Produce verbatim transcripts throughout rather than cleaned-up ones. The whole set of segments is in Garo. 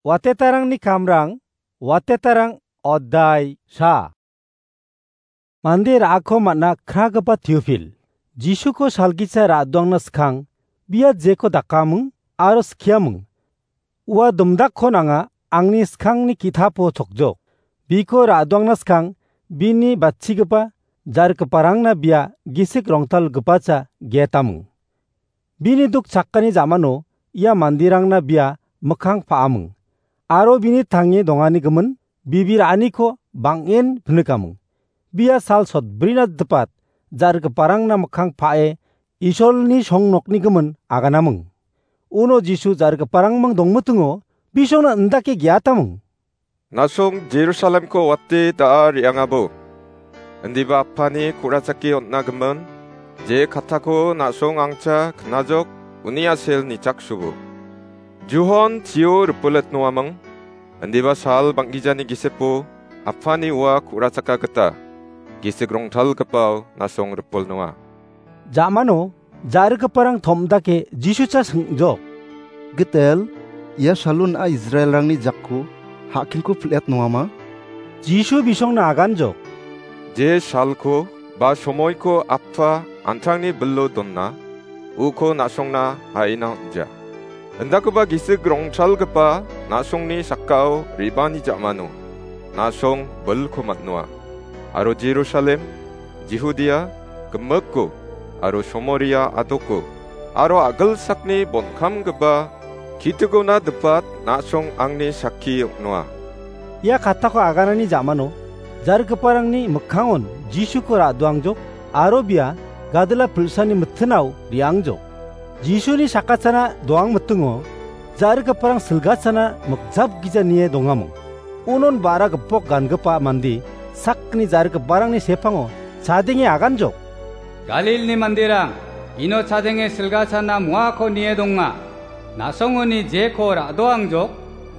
Watetarangni kamrang, watetarang odai sa. Mande ra·ako man·a kragipa Teofil, Jisuko salgisa ra·doangna skang, bia jeko dakaming aro skiaming. Ua domdakko nanga angni skangni ki·tapo chokjok. Biko ra·doangna skang, bini batchigipa, jargiparangna bia gisik rongtalgipacha getaming. Bini duk chakani jamano ia manderangna bia mikkang pa·aming. Aro bini tange dongani gimin bibir aniko bang·en pinikaming. Bia sal sotbrina dipat jargiparangna mikkang pa·e Isolni songnokni gimin aganaming. Uno Jisu jargiparangming dongmitingo bisongna indake geataming. Na·song Jerusalemko wate da·a re·angabo. Indiba Apani ku·rachake on·a gimin, je kattako na·song angcha knajok, uni a·sel nichaksobo. Juhon chio ripilet noaming, indiba sal bang·gijani gisepo Apani ua ku·rachaka gita, gisik rongtalgipao na·song ripol noa. Ja·mano jargiparang tom·dake Jisucha sing·jok. Gitel, ia salon a Israelrangni jakko ha·kingko pil·et noama? Jisu bisongna aganjok. Je salko ba somoiko Appa an·tangni bilo dona, uko na·songna ha·ina on·ja. Indakoba gisik rongtalgipa na·songni sakao re·bani ja·mano na·song bilko man·noa. Aro Jerusalem, Jihudia, gimikko, aro Somoria adoko, aro a·gilsakni bonkamgipa kitigona dipat na·song angni sakki ong·noa. Ia katako aganani ja·mano jargiparangni mikkangon Jisuko ra·doangjok aro bia gadila pilsani mitinao re·angjok. Jisuni sakachana doang mitingo jargiparang silgachana mikjap gija nie dongaming. Unon ba·ra gipok gangipa mande sakgni jargiparangni sepango chadenge aganjok. Galilni manderang, ino chadenge silgachana moako nie donga. Na·songoni jeko ra·doangjok,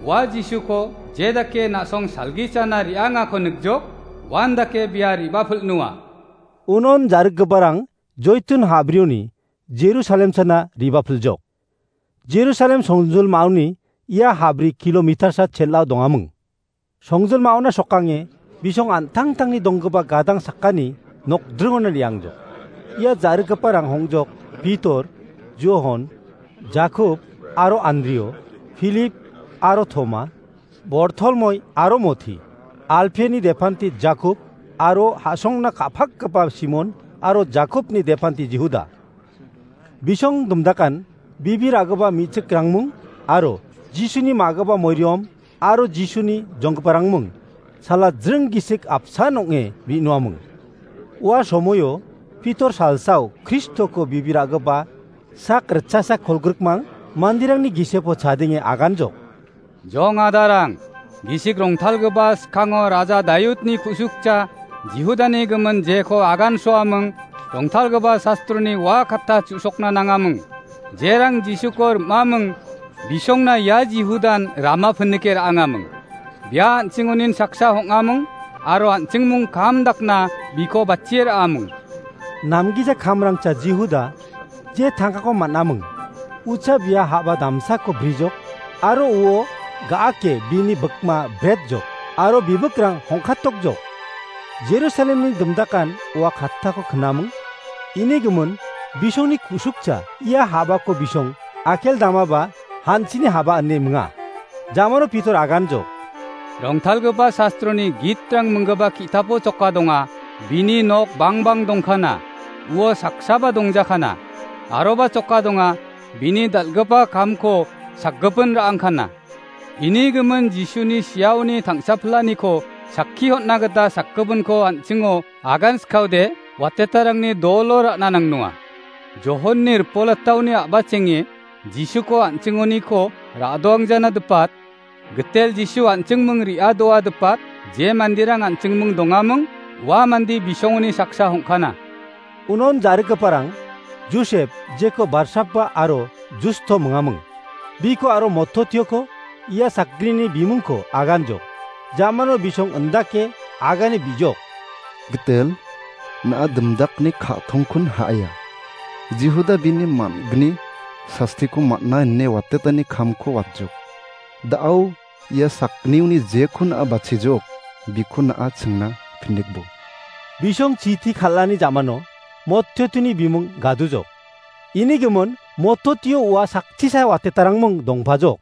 ua Jisuko je dake na·song salgichana re·angako nikjok, uan dake bia re·bapil·noa. Unon jargiparang Joitun habrioni Jerusalem chana re·bapiljok. Jerusalem songjolmaoni ia habri kilometersa chel·ao dongaming. Songjolmaona sokange bisong an·tangtangni donggipa gadang sakani nokdringona re·angjok. Ia jargiparang hongjok Pitor, Johon, Jakob aro Andrio, Filip aro Toma, Bortolmoi aro Mothi, Alpeni depanti Jakob aro ha·songna ka·pakgipa Simon aro Jakobni depanti Jihuda. Bisong dimdakan bibir a·gipa me·chikrangmung aro Jisuni ma·gipa moirom aro Jisuni jonggiparangmung sala jring gisik apsan ong·e bi·noamung. Ua somoio Pitor salsao Kristoko bibir a·gipa sak ritchasa kolgrikmang manderangni gisepo chadenge aganjok. Jong adarang, gisik rongtalgipa skango Raja Dayudni ku·sukcha Jihudani gimin jeko agansoaming, rongtalgipa sastroni ua katta chu·sokna nangaming. Jerang Jisuko rim·aming, bisongna ia Jihudan rama pinike ra·angaming. Bia an·chingonin saksa hong·aming, aro an·chingmung kam dakna biko batchie ra·aming. Namgija kamrangcha Jihuda je tangkako man·aming. Ucha bia ha·ba damsako brijok, aro uo ga·ake bini bikma bretjok, aro bibikrang hongkatokjok. Jerusalemni dimdakan ua kattako knaming. Ini gimin bisongni ku·sukcha ia ha·bako bisong akel damaba hanchini ha·ba ine minga. Jamano Pitor aganjok. Rongtalgipa sastroni gitrang minggipa ki·tapo choka donga, bini nok bangbang dongkana, uo saksaba dongjakana, aroba choka donga, bini dal·gipa kamko sakgipin ra·angkana. Ini gimin Jisuni siaoni tangsapilaniko sakki hon·na gita sakgipinko an·chingo agan skaode watetarangni dolo ra·na nangnonga. Johonni ripolataoni a·bachenge Jisuko an·chingoniko ra·doangjana dipat, gitel Jisu an·chingming re·adoa dipat, je manderang an·chingming dongaming, ua mande bisongoni saksa hongkana. Unon jarigiparang Josep, jeko Barsapa aro Justo mingaming. Biko aro Mototioko ia sakgrini bimungko aganjok. Jamano bisong indake agane bijok. Gitel, na·a dimdakni ka·tongkon ha·aia. Jihuda bini man·gni sastiko man·a ine watetani kamko watjok. Da·ao Ia sakgniuni jekon a·bachijok, bikon a·a chingna pindikbo. Bisong chiti kal·ani jamano mottiotuni bimung gadujok. Ini gimin mottotio ua sakchisa watetarangmung dongpajok.